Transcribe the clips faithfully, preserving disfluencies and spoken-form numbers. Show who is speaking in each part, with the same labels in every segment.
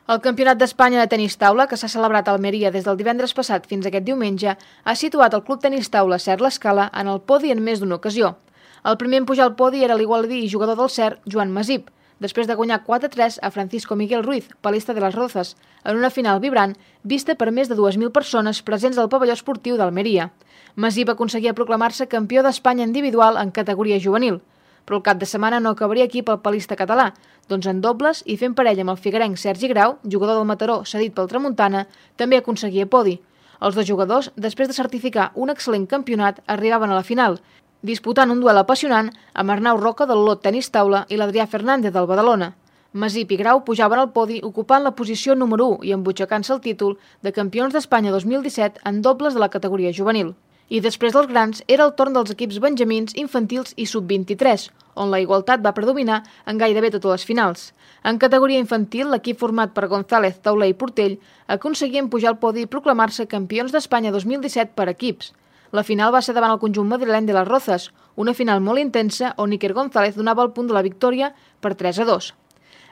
Speaker 1: El Campionat d'Espanya de tenis taula, que s'ha celebrat a Almeria des del divendres passat fins aquest diumenge, ha situat el Club Tenis Taula Cert l'Escala en el podi en més d'una ocasió. El primer en pujar al podi era l'igualadí i jugador del Cert, Joan Masip, després de guanyar quatre a tres a Francisco Miguel Ruiz, palista de les Rozas, en una final vibrant vista per més de dues mil persones presents al pavelló esportiu d'Almeria. Masip aconseguia proclamar-se campió d'Espanya individual en categoria juvenil, però el cap de setmana no acabaria aquí pel palista català, doncs en dobles i fent parella amb el figuerenc Sergi Grau, jugador del Mataró cedit pel Tramuntana, també aconseguia podi. Els dos jugadors, després de certificar un excel·lent campionat, arribaven a la final, disputant un duel apassionant amb Arnau Roca del Lot Tenis Taula i l'Adrià Fernández del Badalona. Masip i Grau pujaven al podi ocupant la posició número u i embutxacant-se el títol de campions d'Espanya dos mil disset en dobles de la categoria juvenil. I després dels grans era el torn dels equips benjamins, infantils i sub vint-i-tres, on la igualtat va predominar en gairebé totes les finals. En categoria infantil, l'equip format per González, Tauler i Portell aconseguien pujar al podi i proclamar-se campions d'Espanya dos mil disset per equips. La final va ser davant el conjunt madrileny de les Rozas, una final molt intensa on Iker González donava el punt de la victòria per tres a dos.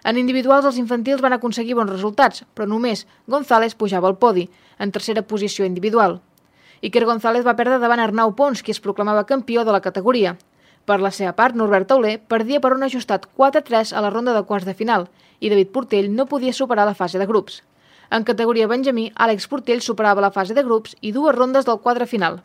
Speaker 1: En individuals, els infantils van aconseguir bons resultats, però només González pujava al podi, en tercera posició individual. Iker González va perdre davant Arnau Pons, qui es proclamava campió de la categoria. Per la seva part, Norbert Tauler perdia per un ajustat quatre a tres a la ronda de quarts de final i David Portell no podia superar la fase de grups. En categoria benjamí, Àlex Portell superava la fase de grups i dues rondes del quadre final.